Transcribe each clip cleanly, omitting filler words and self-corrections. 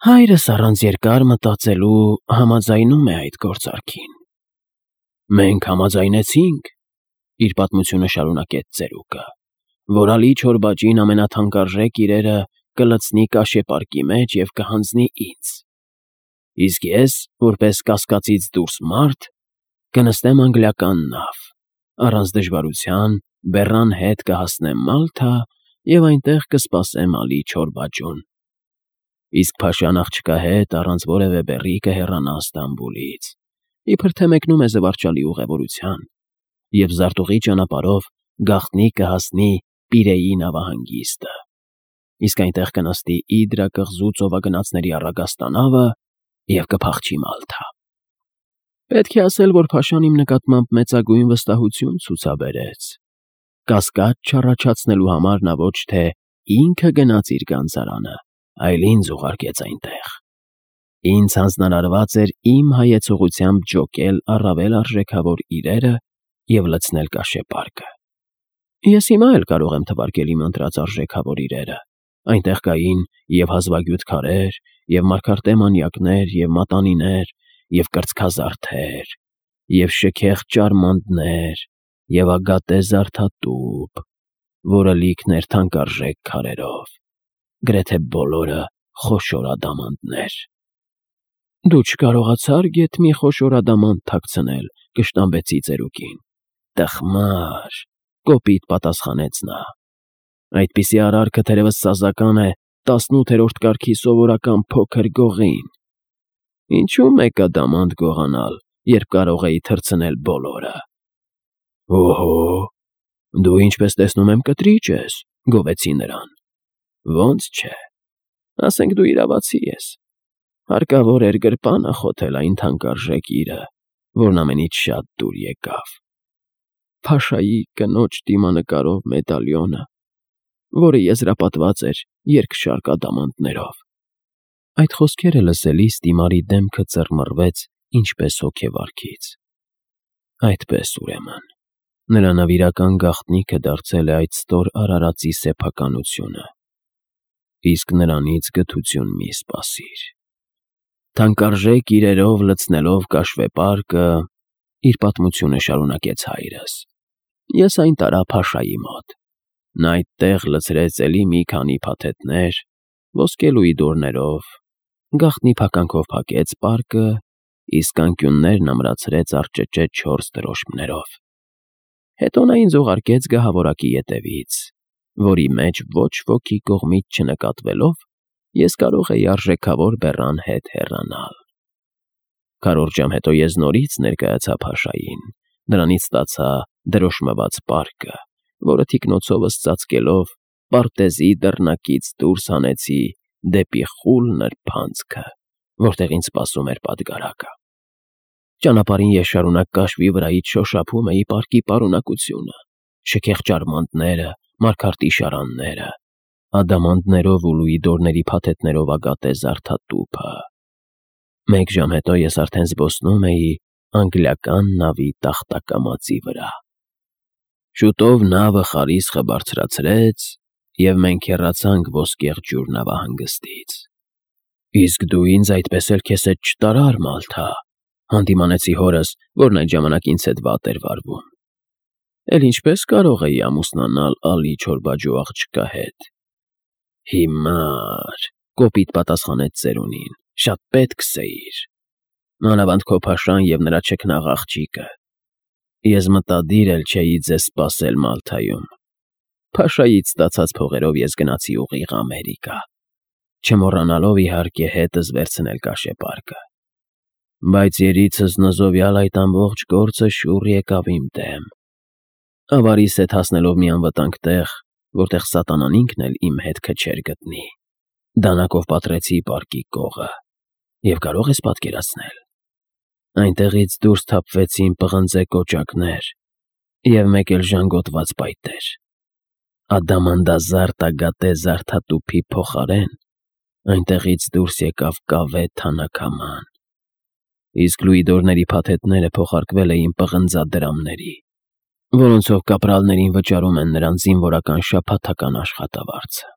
Հայրս առանց երկար մտածելու համաձայնում է այդ գործարքին։ Մենք համաձայնեցինք, իր պատմությունը շարունակեց ծերուկը, որ Ալի Չորբաջին ամենաթանկարժեք իրերը կլցնի կաշեպարկի մեջ և կհանձնի ինձ։ Իսկ ես, որպես կասկածից դուրս մարդ, կնստեմ անգլիական նավ, առանց դժվարության բեռան հետ կհասնեմ Մալթա և այնտեղ կսպասեմ Ալի Չորբաջուն։ Իսկ փաշան աղջկա հետ առանց որևէ բեռի կհեռանա Ստամբուլից, իբր թե մեկնում է զվարճալի ուղևորության, և զարտուղի ճանապարհով գաղտնի կհասնի Պիրեի նավահանգիստը, իսկ այնտեղ կնստի Իդրա կղզու ծովագնացների առագաստանավը և կփախչի Մալթա։ Պետք է ասել, որ փաշան իմ նկատմամբ մեծագույն վստահություն ցուցաբերեց։ Կասկած չառաջացնելու համար նա ոչ թե ինքը գնաց իր գանձարանը, այլ ինձ ուղարկեց այնտեղ։ Ինձ հանձնարարված էր իմ հայեցողությամբ ջոկել առավել արժեքավոր իրերը և լցնել կաշեպարկը։ Ես հիմա էլ կարող եմ թվարկել իմ ընտրած արժեքավոր իրերը։ Այնտեղ կային և հազվագյուտ քարեր, և մարգարտե մանյակներ, և մատանիներ, և կրծքազարդեր, և շքեղ ճարմանտներ, և ագատե զարդատուփ, որը լիքն էր թանկարժեք քարերով, գրեթե բոլորը խոշոր ադամանդներ։ Դու չկարողացար գեթ մի խոշոր ադամանդ թաքցնել, կշտամբեցի ծերուկին։ Տխմար, կոպիտ պատասխանեց նա։ Այդպիսի արարքը թերևս սազական է 18-րդ կարգի սովորական փոքր գողին։ Ինչու մեկ ադամանդ գողանալ, երբ կարող էի թռցնել բոլորը։ Օհո, դու ինչպես տեսնում եմ կտրիճ ես, գովեցի նրան։ Ոնց չէ, ասենք դու իրավացի ես։ Հարկավոր էր գրպանը խոթել այն թանկարժեք իրը, որն ամենից շատ դուր եկավ։ Փաշայի կնոջ դիմանկարով մեդալյոնը, որը եզրապատված էր երկշարք ադամանդներով։ Այդ խոսքերը լսելիս Տիմարի դեմքը ծռմռվեց ինչպես հոգեվարքից։ Այդպես ուրեմն, նրա նվիրական գաղտնիքը դարձել է այդ ստոր արարածի սեփականությունը։ Իսկ նրանից գթություն մի սպասիր։ Թանկարժեք իրերով լցնելով կաշվեպարկը, իր պատմությունը շարունակեց հայրս, ես այն տարա Փաշայի մոտ։ Նա այդտեղ լցրեց էլի մի քանի փաթեթներ, ոսկե լուիդորներով, գաղտնի փականքով փակեց պարկը, իսկ անկյուններն ամրացրեց առճճեճ 4 դրոշմներով։ Հետո նա ինձ ուղարկեց գահավորակի ետևից, որի մեջ ոչ ոքի կողմից չնկատվելով ես կարող էի արժեքավոր բեռան հետ հեռանալ։ Քառորդ ժամ հետո ես նորից ներկայացա Փաշային, նրանից ստացա դրոշմված պարկը, որը թիկնոցովս ծածկելով պարտեզի դռնակից դուրս հանեցի դեպի խուլ նրբանցքը, որտեղ ինձ սպասում էր պատգարակը։ Ճանապարհին ես շարունակ կաշվի վրայից շոշափում էի պարկի պարունակությունը, շքեղ ճարմանտները, մարգարտի շարանները, ադամանդներով ու լուիդորների փաթեթներով ագատե զարդատուփը։ Մեկ ժամ հետո ես արդեն զբոսնում էի անգլիական նավի տախտակամածի վրա։ Շուտով նավը խարիսխը բարձրացրեց, և մենք հեռացանք Ոսկեղ ջուր նավահանգստից։ Իսկ դու ինձ այդպես էլ քեզ հետ չտարար Մալթա, հանդիմանեցի հորս, որն այդ ժամանակ ինձ հետ վատ էր վարվում։ Էլ ինչպես կարող էի ամուսնանալ Ալի Չորբաջու աղջկա հետ։ Հիմար, կոպիտ պատասխանեց ծերունին, շատ պետք սեիր։ Մանավանդ քո փաշան և նրա չքնաղ աղջիկը։ Ես մտադիր էլ չէի ձեզ սպասել Մալթայում։ Փաշայից ստացած փողերով ես գնացի ուղիղ Ամերիկա, չմոռանալով իհարկե հետս վերցնել կաշեպարկը։ Բայց երիցս նզովյալ այդ ամբողջ գործը շուռ եկավ իմ դեմ։ Ավարիս հետ հասնելով մի անվտանգ տեղ, որտեղ սատանան ինքն էլ իմ հետքը չէր գտնի, դանակով պատռեցի պարկի կողը, և կարող ես պատկերացնել, այնտեղից դուրս թափվեցին պղնձե կոճակներ և մեկ էլ ժանգոտված փայտեր։ Ադամանդազարդ ագատե զարդատուփի փոխարեն այնտեղից դուրս եկավ կավե թանաքաման, իսկ լուիդորների փաթեթները փոխարկվել էին պղնձադրամների, որոնցով կապրալներին վճարում են նրանց զինվորական շաբաթական աշխատավարձը։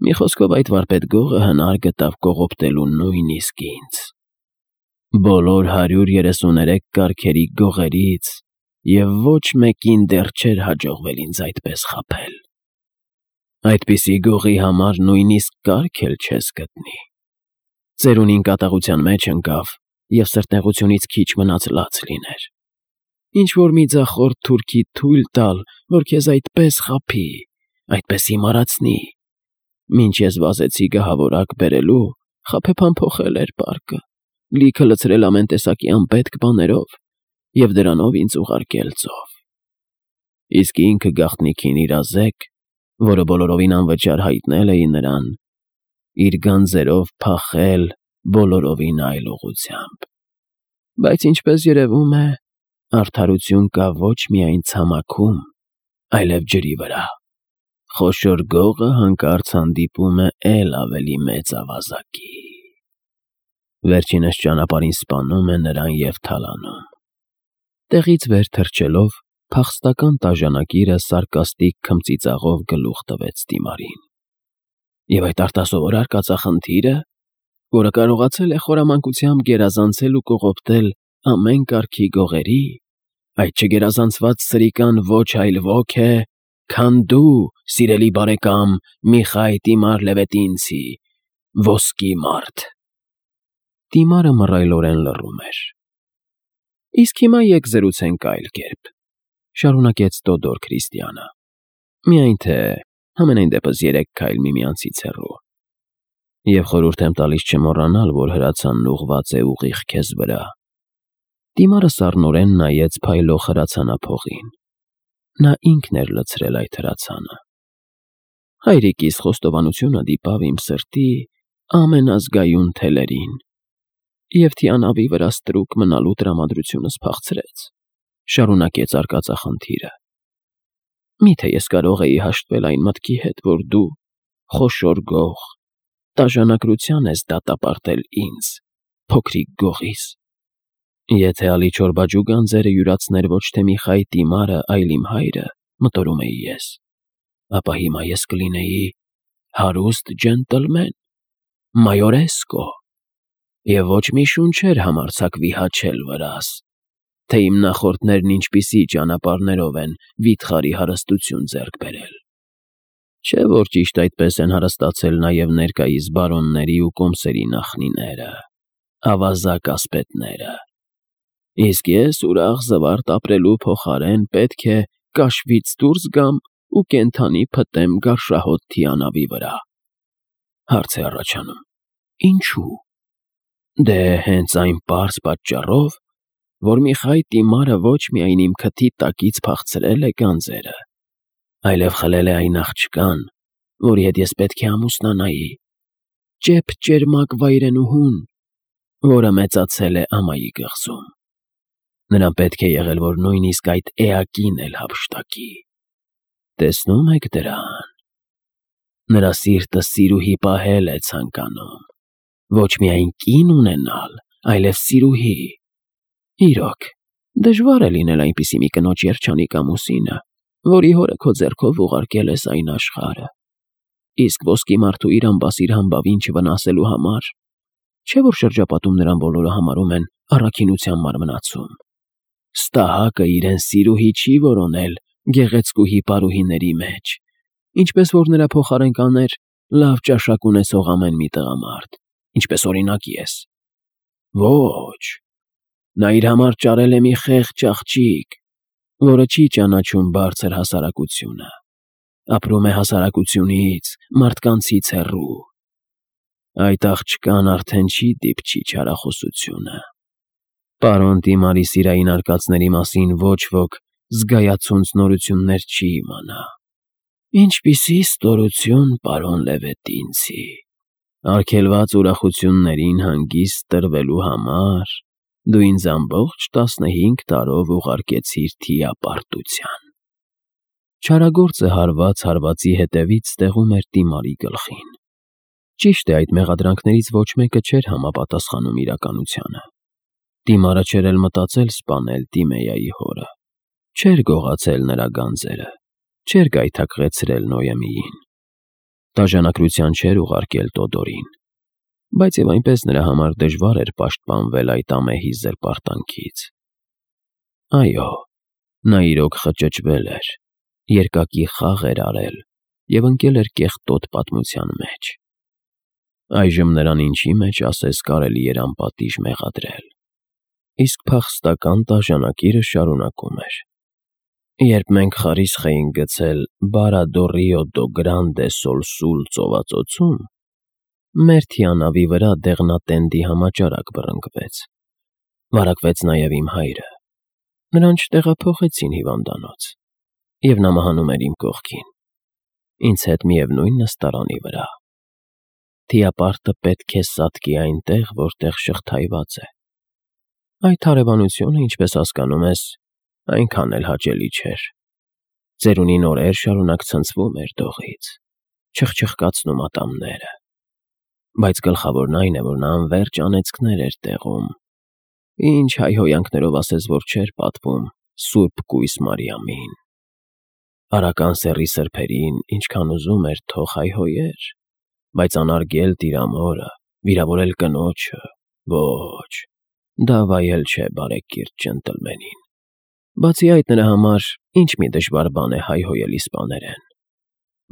Մի խոսքով այդ վարպետ գողը հնար գտավ կողոպտելու նույնիսկ ինձ։ Բոլոր 133 կարգերի գողերից և ոչ մեկին դեռ չէր հաջողվել ինձ այդպես խաբել։ Այդպիսի գողի համար նույնիսկ կարգ էլ չես գտնի։ Ծերունին կատաղության մեջ ընկավ և սրտնեղությունից քիչ մնաց լաց լիներ։ Ինչ-որ մի ձախորդ թուրքի թույլ տալ, որ քեզ այդպես խաբի, այդպես հիմարացնի։ Մինչ ես վազեցի գահավորակ բերելու, խաբեբան փոխել էր պարկը, լիքը լցրել ամեն տեսակի անպետք բաներով և դրանով ինձ ուղարկել ծով։ Իսկ ինքը գաղտնիքին իրազեկ, որը բոլորովին անվճար հայտնել էի նրան, իր գանձերով փախել բոլորովին այլ ուղղությամբ։ Բայց ինչպես երևում է, արդարություն կա ոչ միայն ցամաքում, այլև ջրի վրա։ Խոշոր գողը հանկարծ հանդիպում է էլ ավելի մեծ ավազակի։ Վերջինս ճանապարհին սպանում է նրան և թալանում։ Տեղից վեր թռչելով, փախստական տաժանակիրը սարկաստիկ քմծիծաղով գլուխ տվեց Դիմարին։ Եվ այդ արտասովոր արկածախնդիրը, որը կարողացել է խորամանկությամբ գերազանցել ու կողոպտել ամեն կարգի գողերի, այդ չգերազանցված սրիկան ոչ այլ ոք է, քան դու, սիրելի բարեկամ Միխայ Տիմար Լևետինցի, ոսկի մարդ։ Դիմարը մռայլորեն լռում էր։ Իսկ հիմա եկ զրուցենք այլ կերպ, շարունակեց Տոդոր Քրիստիանը։ Միայն թե համենայն դեպս 3 քայլ միմյանցից հեռու։ Եվ խորհուրդ եմ տալիս չմոռանալ, որ հրացանն ուղղված է ուղիղ քեզ վրա։ Դիմարը սառնորեն նայեց փայլող հրացանափողին։ Նա ինքն էր լցրել այդ հրացանը։ Հայրիկիս խոստովանությունը դիպավ իմ սրտի ամենազգայուն թելերին և թիանավի վրա ստրուկ մնալու տրամադրությունս փախցրեց, շարունակեց արկածախնդիրը։ Միթե ես կարող էի հաշտվել այն մտքի հետ, որ դու, խոշոր գող, տաժանակրության ես դատապարտել ինձ, փոքրիկ գողիս։ Եթե Ալիչոր գանձերը յուրացներ ոչ թե Միխայ Տիմարը, այլ իմ հայրը, մտորում էի ես, ապա հիմա ես կլինեի հարուստ ջենտլմեն, մայորեսկո, և ոչ մի շունչ չէր համարձակվի հաչել վրաս, թե իմ նախորդներն ինչպիսի ճանապարհներով են վիթխարի հարստություն ձեռք բերել։ Չէ՞ որ ճիշտ այդպես են հարստացել նաև ներկայիս բարոնների ու կոմսերի նախնիները, ավազակ ասպետները։ Իսկ ես ուրախ զվարթ ապրելու փոխարեն պետք է կաշվից դուրս գամ ու կենդանի փտեմ գարշահոտ թիանավի վրա։ Հարց է առաջանում. ինչու՞։ Դե հենց այն պարզ պատճառով, որ Միխայ Տիմարը ոչ միայն իմ քթի տակից փախցրել է գանձերը, այլև խլել է այն աղջկան, որի հետ ես պետք է ամուսնանայի, ճեպ-ճերմակ վայրենուհուն, որը մեծացել է ամայի կղզում։ Նրան պետք է եղել, որ նույնիսկ այդ էակին էլ հափշտակի։ Տեսնում եք դրան։ Նրա սիրտը սիրուհի պահել է ցանկանում, ոչ միայն կին ունենալ, այլև սիրուհի։ Իրոք, դժվար է լինել այնպիսի մի կնոջ երջանիկ ամուսինը, որի հորը քո ձեռքով ուղարկել ես այն աշխարհը։ Իսկ ոսկի մարդու իր ամբասիր համբավին չվնասելու համար, չէ՞ որ շրջապատում նրան բոլորը համարում են առաքինության մարմնացում։ Ստահակը իրեն սիրուհի չի որոնել գեղեցկուհի պարուհիների մեջ, ինչպես որ նրա փոխարեն կաներ լավ ճաշակ ունեցող ամեն մի տղամարդ, ինչպես օրինակ ես։ Ոչ, նա իր համար ճարել է մի խեղճ աղջիկ, որը չի ճանաչում բարձր հասարակությունը, ապրում է հասարակությունից, մարդկանցից հեռու։ Այդ աղջկան արդեն չի դիպչի չարախոսությունը։ Պարոն Տիմարի սիրային արկածների մասին ոչ ոք զգայացունց նորություններ չի իմանա։ Ինչպիսի ստորություն, պարոն Լևետինցի։ Արգելված ուրախություններին հանգիստ տրվելու համար դու ինձ ամբողջ 15 տարով ուղարկեցիր թիապարտության։ Չարագործը հարված հարվածի հետևից ստեղում էր Տիմարի գլխին։ Ճիշտ է, այդ մեղադրանքներից ոչ մեկը չէր համապատասխանում իրականությանը։ Տիմարը չէր էլ մտածել սպանել Տիմեյայի հորը, չէր գողացել նրա գանձերը, չէր գայթակղեցրել Նոյեմիին։ Դաժանակրության չէր ուղարկել Տոդորին, բայց եւ այնպես նրա համար դժվար էր պաշտպանվել այդ ամեհի զրպարտանքից։ Այո, նա իրոք խճճվել էր, երկակի խաղ էր արել եւ ընկել էր կեղտոտ պատմության մեջ։ Այժմ նրան ինչի մեջ ասես կարելի էր անպատիժ մեղադրել։ Իսկ փախստական դաժանակիրը շարունակում էր. Երբ մենք խարիսխ էինք գցել Բարադո Ռիո դո Գրանդե Սոլ Սուլ ծովածոցում, մեր թիանավի վրա դեղնատենդի համաճարակ բռնկվեց։ Վարակվեց նաև իմ հայրը։ Նրան չտեղափոխեցին հիվանդանոց, եւ նա մահանում էր իմ կողքին, ինձ հետ միևնույն նստարանի վրա։ Թիապարտը պետք է սատկի այնտեղ, որտեղ շղթայված է։ Այդ հարևանությունը, ինչպես հասկանում ես, այնքան էլ հաճելի չէր։ Ծերունին օրեր շարունակ ցնցվում էր դողից, չխչխկացնում ատամները։ Բայց գլխավորն այն է, որ նա անվերջ անեծքներ էր տեղում։ Ինչ հայհոյանքներով ասես, որ չէր պատվում Սուրբ Կույս Մարիամին։ Արական սեռի սրբերին ինչքան ուզում էր թող հայհոյեր, բայց անարգել տիրամորը, վիրավորել կնոջը, ոչ, դա վայել չէ բարեկիրթ ջենտլմենին։ Բացի այդ, նրա համար ինչ մի դժվար բան է հայհոյել իսպաներեն։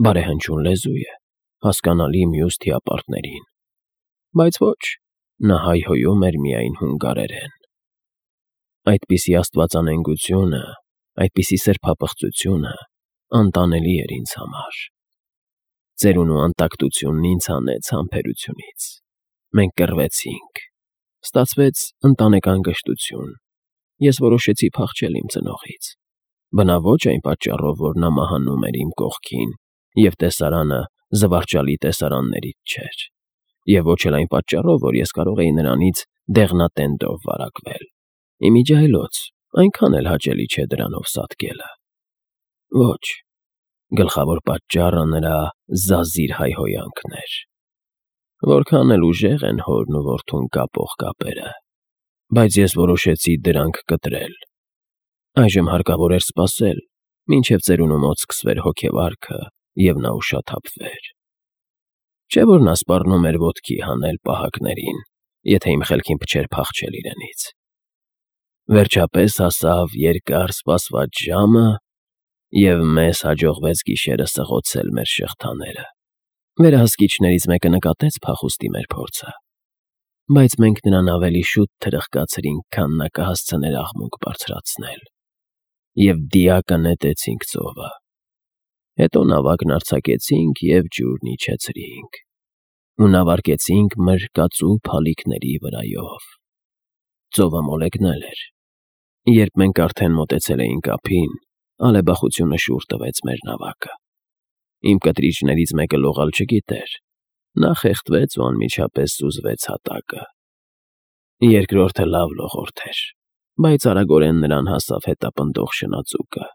Բարեհնչուն լեզու է, հասկանալի մյուս թիապարտներին։ Բայց ոչ, նա հայհոյում էր միայն հունգարերեն։ Այդպիսի աստվածանենգությունը, այդպիսի սրբապղծությունը անտանելի էր ինձ համար։ Ծերունու անտակտությունն ինձ հանեց համբերությունից։ Մենք կռվեցինք։ Ստացվեց ընտանեկան գժտություն։ Ես որոշեցի փախչել իմ ծնողից։ Բնավ ոչ այն պատճառով, որ նա մահանում էր իմ կողքին, եւ տեսարանը զվարճալի տեսարաններից չէր, եւ ոչ էլ այն պատճառով, որ ես կարող էի նրանից դեղնատենդով վարակվել։ Իմիջայլոց, այնքան էլ հաճելի չէ դրանով սատկելը։ Ոչ, գլխավոր պատճառը նրա զազիր հայհոյանքն էր։ Որքան էլ ուժեղ են հորն ու որդուն կապող կապերը, բայց ես որոշեցի դրանք կտրել։ Այժմ հարկավոր էր սպասել, մինչև ծերունու մոտ սկսվեր հոգեվարքը և նա ուշաթափվեր։ Չէ՞ որ նա սպառնում էր ոտքի հանել պահակներին, եթե իմ խելքին փչեր փախչել իրենից։ Վերջապես հասավ երկար սպասված ժամը, և մեզ հաջողվեց գիշերը սղոցել մեր շղթաները։ Վերահսկիչներից մեկը նկատեց փախուստի մեր փորձը, բայց մենք նրան ավելի շուտ թրխկացրինք, քան նա կհասցներ աղմուկ բարձրացնել, և դիակը նետեցինք ծովը։ Հետո նավակն արձակեցինք և ջուրն իջեցրինք, ու նավարկեցինք մրրկածու փալիկների վրայով։ Ծովը մոլեգնել էր։ Երբ մենք արդեն մոտեցել էինք ափին, ալեբախությունը շուռ տվեց մեր նավակը։ Իմ կտրիչներից մեկը լողալ չգիտեր, նա խեղդվեց ու անմիջապես սուզվեց հատակը։ Երկրորդը լավ լողորդ էր, բայց արագորեն նրան հասավ հետապնդող շնաձուկը։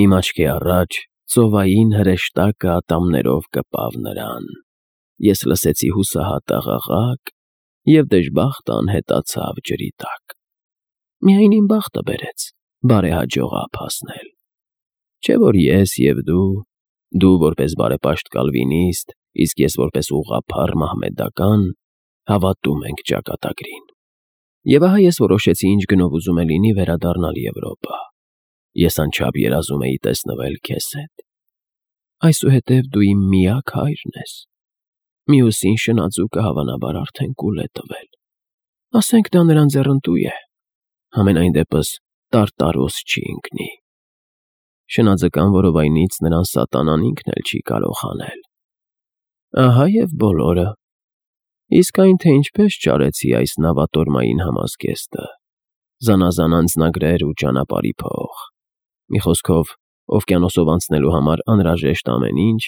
Իմ աչքի առաջ ծովային հրեշտակը ատամներով կպավ նրան։ Ես լսեցի հուսահատ աղաղակ և դժբախտը անհետացավ ջրի տակ։ Միայն իմ բախտը բերեց բարեհաջող ափ հասնել։ Չէ՞ որ ես և դու որպես բարեպաշտ կալվինիստ, իսկ ես որպես ուղղափառ մահմեդական, հավատում ենք ճակատագրին։ Եվ ահա ես որոշեցի ինչ գնով ուզում է լինի վերադառնալ Եվրոպա։ Ես անչափ երազում էի տեսնվել քեզ հետ։ Այսուհետև դու իմ միակ հայրն ես։ Մյուսին շնաձուկը հավանաբար արդեն կուլ է տվել։ Ասենք դա նրան ձեռնտու է։ Համենայն դեպս տարտարոս չի ընկնի։ Շնաձկան որովայնից նրան սատանան ինքն էլ չի կարող հանել։ Ահա և բոլորը։ Իսկ այն, թե ինչպես ճարեցի այս նավատորմային համազգեստը, զանազան անձնագրեր ու ճանապարհի փող, մի խոսքով, օվկիանոսով անցնելու համար անհրաժեշտ ամեն ինչ,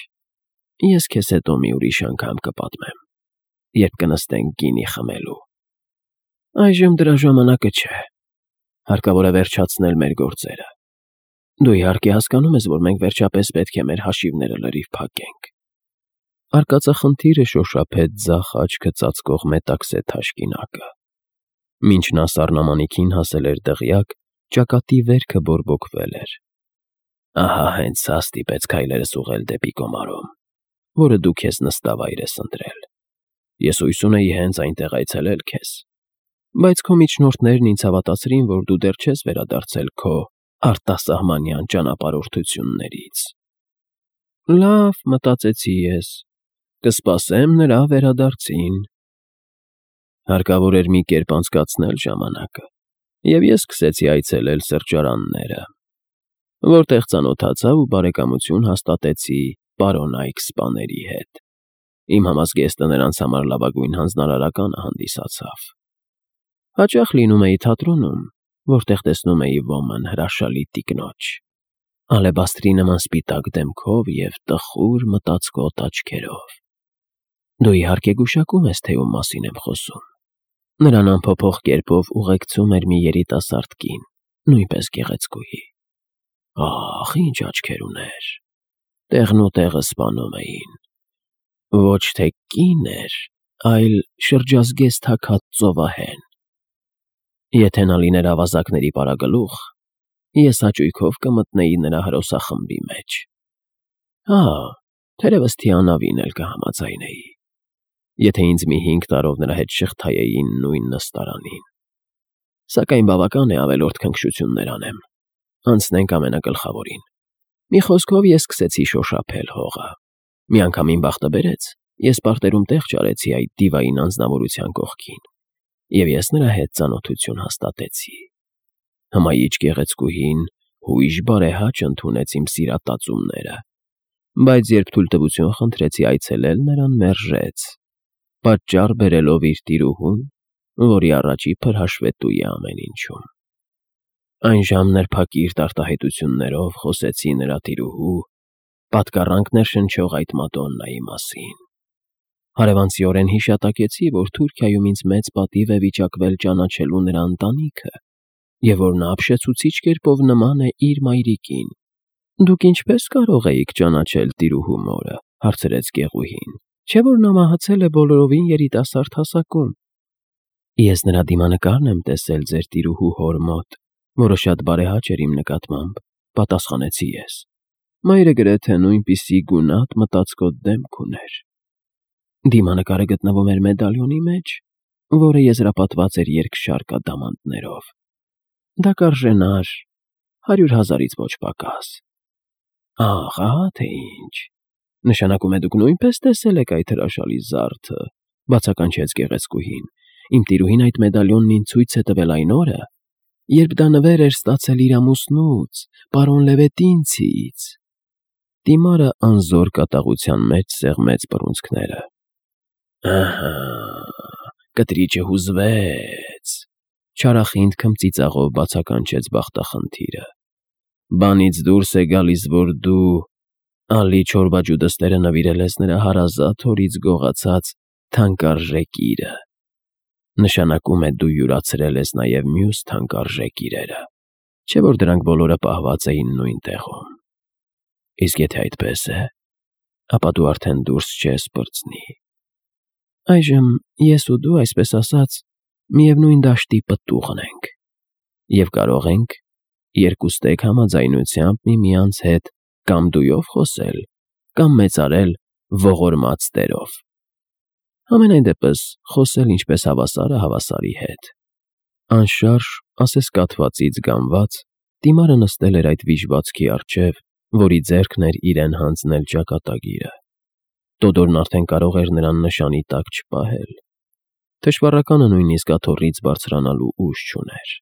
ես քեզ հետո մի ուրիշ անգամ կպատմեմ, երբ կնստենք գինի խմելու։ Այժմ դրա ժամանակը չէ։ Հարկավոր է վերջացնել մեր գործերը։ Դու իհարկե հասկանում ես, որ մենք վերջապես պետք է մեր հաշիվները լրիվ փակենք։ Արկածախնդիրը շոշափեց ձախ աչքը ծածկող մետաքսե թաշկինակը։ Մինչ նա սառնամանիքին հասել էր դղյակ, ճակատի վերքը բորբոքվել էր։ Ահա հենց սա ստիպեց քայլերս ուղղել դեպի Կոմարոմ, որը դու քեզ նստավայր ես ընտրել։ Ես հույս ունեի հենց այնտեղ այցելել քեզ, բայց քո միջնորդներն ինձ հավատացրին, որ դու դեռ չես վերադարձել քո արտասահմանյան ճանապարհորդություններից։ Լավ, մտածեցի ես, կսպասեմ նրա վերադարձին։ Հարկավոր էր մի կերպ անցկացնել ժամանակը, և ես սկսեցի այցելել սրճարանները, որտեղ ծանոթացա ու բարեկամություն հաստատեցի պարոն Այքսպաների հետ։ Իմ համազգեստը նրանց համար լավագույն հանձնարարականը հանդիսացավ։ Հաճախ լինում էի թատրոնում, որտեղ տեսնում էի ոմն հրաշալի տիկնոջ, ալեբաստրի նման սպիտակ դեմքով և տխուր մտածկոտ աչքերով։ Դու իհարկե գուշակում ես, թե ում մասին եմ խոսում։ Նրան անփոփոխ կերպով ուղեկցում էր մի երիտասարդ կին, նույնպես գեղեցկուհի։ Ահ, ինչ աչքեր ուներ, տեղն ու տեղը սպանում էին։ Ոչ թե կին էր, այլ շրջազգեստ հագած ծովահեն։ Եթե նա լիներ ավազակների պարագլուխ, ես հաճույքով կմտնեի նրա հրոսախմբի մեջ։ Թերևս Թիանավին էլ կհամաձայնեի, եթե ինձ մի 5 տարով նրա հետ շղթայեին նույն նստարանին։ Սակայն բավական է ավելորդ քնքշություններ անեմ։ Անցնենք ամենագլխավորին։ Մի խոսքով ես սկսեցի շոշափել հողը։ Մի անգամ իմ բախտը բերեց, ես պարտերում տեղ չարեցի այդ դիվային անձնավորության կողքին, և ես նրա հետ ծանոթություն հաստատեցի։ Հմայիչ գեղեցկուհին հույժ բարեհաճ ընդունեց իմ սիրատածումները, բայց երբ թույլտվություն խնդրեցի այցելել, նրան մերժեց, պատճառ բերելով իր տիրուհուն, որի առաջի փրհաշվետու է ամեն ինչում։ Այն ժամներփակիրտ արտահայտություններով խոսեցի նրա տիրուհու, պատկառանք ներշնչող այդ Մադոննայի մասին։ Հարևանցիորեն հիշատակեցի, որ Թուրքիայում ինձ մեծ պատիվ է վիճակվել ճանաչելու նրա ընտանիքը, և որ նա ապշեցուցիչ կերպով նման է իր մայրիկին։ Դուք ինչպես կարող էիք ճանաչել տիրուհու մորը, հարցրեց գեղուհին, չէ՞ որ նա մահացել է բոլորովին երիտասարդ հասակում։ Ես նրա դիմանկարն եմ տեսել ձեր տիրուհու հոր մոտ, որը շատ բարեհաճ էր իմ նկատմամբ, պատասխանեցի ես։ Մայրը գրեթե նույնպիսի գունատ մտածկոտ դեմք ուներ։ Դիմանկարը գտնվում էր մեդալյոնի մեջ, որը եզրապատված էր երկշարք ադամանդներով։ Դա կարժենար 100,000-ից ոչ պակաս։ Ահա թե ինչ։ Նշանակում է դուք նույնպես տեսել եք այդ հրաշալի զարդը, բացականչեց գեղեցկուհին։ Իմ տիրուհին այդ մեդալյոնն ինձ ցույց է տվել այն օրը, երբ դա նվեր էր ստացել իր ամուսնուց, պարոն Լևետինցից։ Դիմարը անզոր կատաղության մեջ սեղմեց բռունցքները։ Ահա, կտրիճը հուզվեց, չարախինդ քմծիծաղով բացականչեց բախտախնդիրը։ Բանից դուրս է գալիս, որ դու ալի չորբաջուդստերը նվիրել ես նրա հարազատ հորից գողացած թանկարժեք իրը։ Նշանակում է դու յուրացրել ես նաև մյուս թանկարժեք իրերը, չէ՞ որ դրանք բոլորը պահված էին նույն տեղում։ Իսկ եթե այդպես է, ապա դու արդեն դուրս չես պրծնի։ Այժմ ես ու դու, այսպես ասած, միևնույն դաշտի պտուղն ենք, և կարող ենք երկուստեք համաձայնությամբ միմյանց հետ կամ դույով խոսել, կամ մեծարել ողորմած տերով։ Համենայն դեպս խոսել ինչպես հավասարը հավասարի հետ։ Անշարժ, ասես կաթվածից գամված, դիմարը նստել էր այդ վիժվածքի առջև, որի ձեռքն էր իրեն հանձնել ճակատագիրը։ Տոդորն արդեն կարող էր նրան նշանի տակ չպահել։ Թշվառականը նույնիսկ աթոռից բարձրանալու ուժ չուներ։